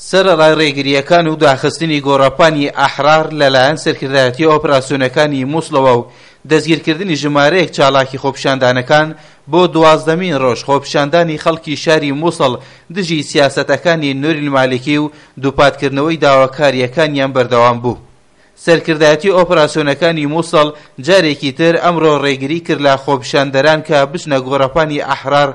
سەرەڕای ڕێگرییەکان و داخستنی گۆڕەپانی ئەحرار لەلایەن سەرکردایەتی ئۆپراسیۆنەکانی موسڵەوە و دەستگیرکردنی ژمارەیەک چالاکی خۆپیشاندانەکان، بۆ دوازدەمین ڕۆژ خۆپیشاندانی خەڵکی شاری موسڵ دژی سیاسەتەکانی نوری المالکی و دووپاتکردنەوەی داواکارییەکانیان بەردەوام بوو. سەرکردایەتی ئۆپراسیۆنەکانی موسڵ جارێکی تر ئەمڕۆ ڕێگری کرد لە خۆپیشاندەران کە بچنە گۆڕەپانی ئەحرار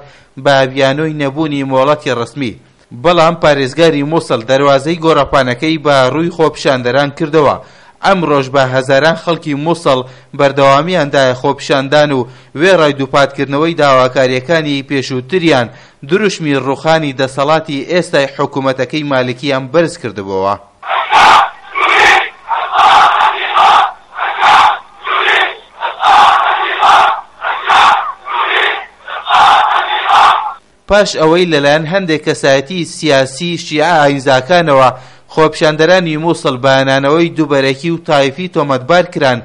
بە بیانۆی نەبوونی مۆڵەتی ڕەسمی، بەڵام پارێزگاری موسڵ دەروازەی گۆڕەپانەکەی بە ڕووی خۆپیشاندەران کردەوە، ئەمڕۆش بە هەزاران خەڵکی موسڵ بەردەوامیان دایە خۆپیشاندان و وێڕای دووپاتکردنەوەی داواکارییەکانی پێشووتریان دروشمی ڕووخانی دەسەڵاتی ئێستای حکومەتەکەی مالکیان بەرزکردبۆوە. پاش ئەوەی لەلایەن هەندێک کەسایەتیی سیاسیی شیعە ئایینزاکانەوە خۆپیشاندەرانی موسڵ بە نانەوەی دووبەرەکی و تایفی تۆمەتبار کران،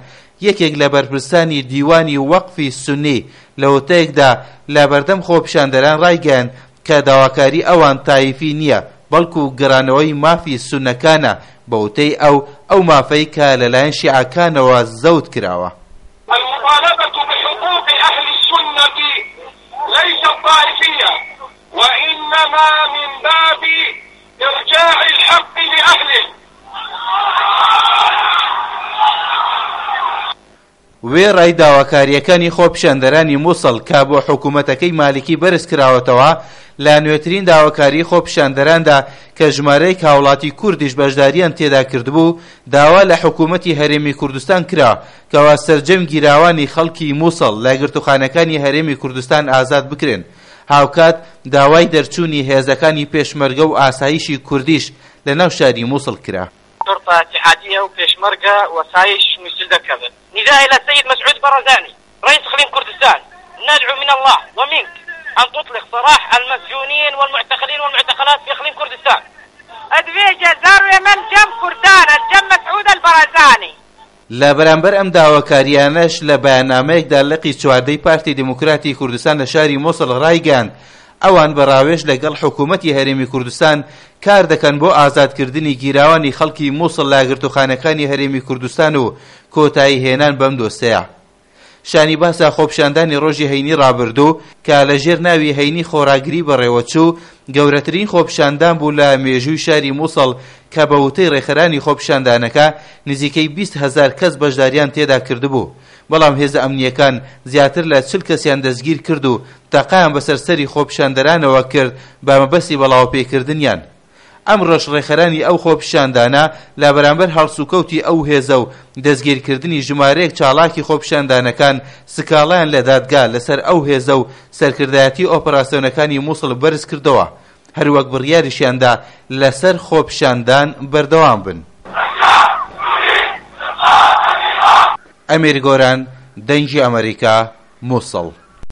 یەکێک لە بەرپرسانی دیوانی وەقفی سوننی لە وتەیەکدا لە بەردەم خۆپیشاندەران ڕایگەیاند کە داواکاری ئەوان تایفی نییە بەڵکو گەڕانەوەی مافی سوننەکانە، بە وتەی ئەو، ئەو مافەی کە لەلایەن شیعەکانەوە زەوت کراوە. المطالبة بحقوق اهل السنة ليست طائفية وانما من باب ارجاع الحق لأهله. وێڕای داواکارییەکانی خۆپیشاندەرانی موسڵ کە بۆ حکومەتەکەی مالکی بەرزکراوەتەوە، لە نوێترین داواکاریی خۆپیشاندەراندا کە ژمارەیەک هاوڵاتی کوردیش بەشدارییان تێدا کردبوو، داوا لە حکومەتی هەرێمی کوردستان کرا کەوا سەرجەم گیراوانی خەڵکی موسڵ لە گرتوخانەکانی هەرێمی کوردستان ئازاد بکرێن، هاوکات داوای دەرچوونی هێزەکانی پێشمەرگە و ئاسایشی کوردیش لە ناو شاری موسڵ کرا. شرطة اتحادية و پێشمەرگە وسایش موسل دەرکەڤن. نداء الى السيد مسعود برزاني رئيس اقليم كردستان ندعو من الله ومنك ان تطلق سراح المسجونين والمعتقلين والمعتقلات في اقليم كردستان. ئەدوێژە زاروێ مەل جەم کوردانە جەم مەسعود البرزانی. لە بەرامبەر ئەم داواکارییانەش لە بەیاننامەیەکدا لقی چواردەی پارتی دیموکراتی کوردستان لە شاری موسڵ ڕایگەیاند، ئەوان بە ڕاوێژ لەگەڵ حکوومەتی هەرێمی کوردستان کار دەکەن بۆ ئازادکردنی گیراوانی خەڵکی موسڵ لە گرتووخانەکانی هەرێمی کوردستان و کۆتایی هێنان بەم دۆسێیە. شانی باسە خۆپیشاندانی ڕۆژی هەینی ڕابردوو کە لە ژێر ناوی هەینی خۆڕاگری بەڕێوەچوو، گەورەترین خۆپیشاندان بوو لە مێژووی شاری موسڵ کە بە وتەی ڕێکخەرانی خۆپیشاندانەکە نزیکەی 20 هەزار کەس بەشداریان تێدا کردبوو، بەڵام هێزە ئەمنییەکان زیاتر لە 40 کەسیان دەستگیر کرد و تەقەیان بەسەر سەری خۆپیشاندەرانەوە کرد بە مەبەستی بەڵاوەپێکردنیان. ئەمڕۆش ڕێکخەرانی ئەو خۆپیشاندانە لە بەرامبەر هەڵسوکەوتی ئەو هێزە و دەستگیرکردنی ژمارەیەک چاڵاکی خۆپیشاندانەکان سکاڵایان لە دادگا لەسەر ئەو هێزە و سەرکردایەتی ئۆپەراسیۆنەکانی موسڵ بەرزکردەوە، هەروەک بڕیاریشیاندا لەسەر خۆپیشاندان بەردەوام بن. ئەمیر گۆران، دەنگی ئەمەریکا، موسڵ.